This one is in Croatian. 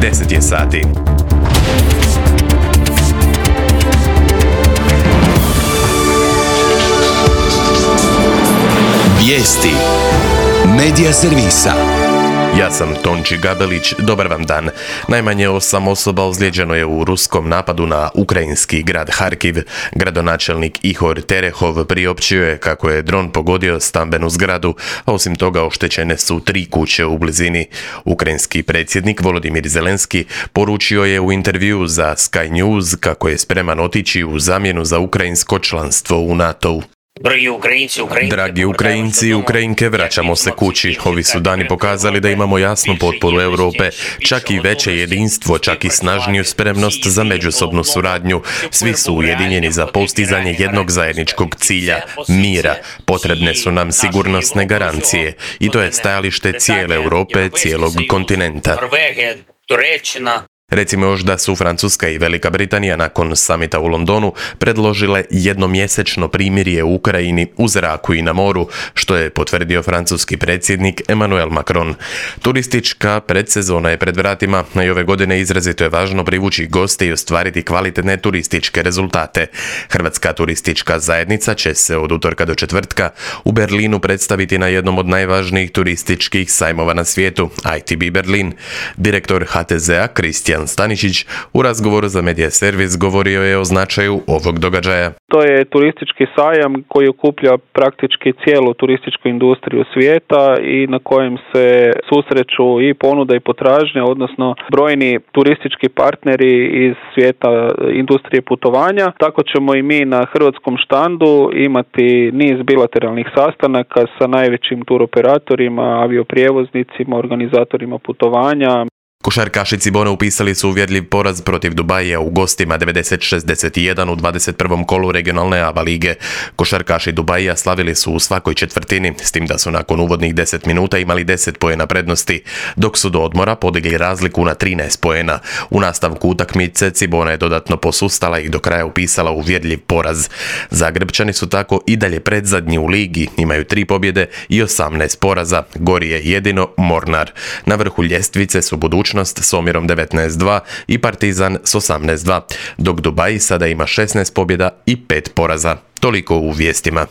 10 je sati. Vijesti Medija servisa. Ja sam Tonči Gabelić, dobar vam dan. Najmanje 8 osoba ozlijeđeno je u ruskom napadu na ukrajinski grad Harkiv. Gradonačelnik Ihor Terehov priopćio je kako je dron pogodio stambenu zgradu, a osim toga oštećene su 3 kuće u blizini. Ukrajinski predsjednik Volodimir Zelenski poručio je u intervjuu za Sky News kako je spreman otići u zamjenu za ukrajinsko članstvo u NATO-u. Dragi Ukrajinci i Ukrajinke, vraćamo se kući. Ovi su dani pokazali da imamo jasnu potporu Europe, čak i veće jedinstvo, čak i snažniju spremnost za međusobnu suradnju. Svi su ujedinjeni za postizanje jednog zajedničkog cilja, mira. Potrebne su nam sigurnosne garancije. I to je stajalište cijele Europe, cijelog kontinenta. Recimo još da su Francuska i Velika Britanija nakon samita u Londonu predložile jednomjesečno primirje u Ukrajini u zraku i na moru, što je potvrdio francuski predsjednik Emmanuel Macron. Turistička predsezona je pred vratima, a i ove godine izrazito je važno privući goste i ostvariti kvalitetne turističke rezultate. Hrvatska turistička zajednica će se od utorka do četvrtka u Berlinu predstaviti na jednom od najvažnijih turističkih sajmova na svijetu, ITB Berlin. Direktor HTZ-a Kristijan Staničić u razgovoru za Medija servis govorio je o značaju ovog događaja. To je turistički sajam koji okuplja praktički cijelu turističku industriju svijeta i na kojem se susreću i ponuda i potražnja, odnosno brojni turistički partneri iz svijeta industrije putovanja. Tako ćemo i mi na hrvatskom štandu imati niz bilateralnih sastanaka sa najvećim turoperatorima, avioprijevoznicima, organizatorima putovanja. Košarkaši Cibone upisali su uvjerljiv poraz protiv Dubaija u gostima 90-61 u 21. kolu regionalne ABA lige. Košarkaši Dubaija slavili su u svakoj četvrtini, s tim da su nakon uvodnih 10 minuta imali 10 poena prednosti, dok su do odmora podigli razliku na 13 poena. U nastavku utakmice Cibona je dodatno posustala i do kraja upisala uvjerljiv poraz. Zagrebčani su tako i dalje predzadnji u ligi, imaju 3 pobjede i 18 poraza. Gori je jedino Mornar. Na vrhu ljestvice su Budućnost s omjerom 19-2 i Partizan s 18-2, dok Dubai sada ima 16 pobjeda i 5 poraza. Toliko u vijestima.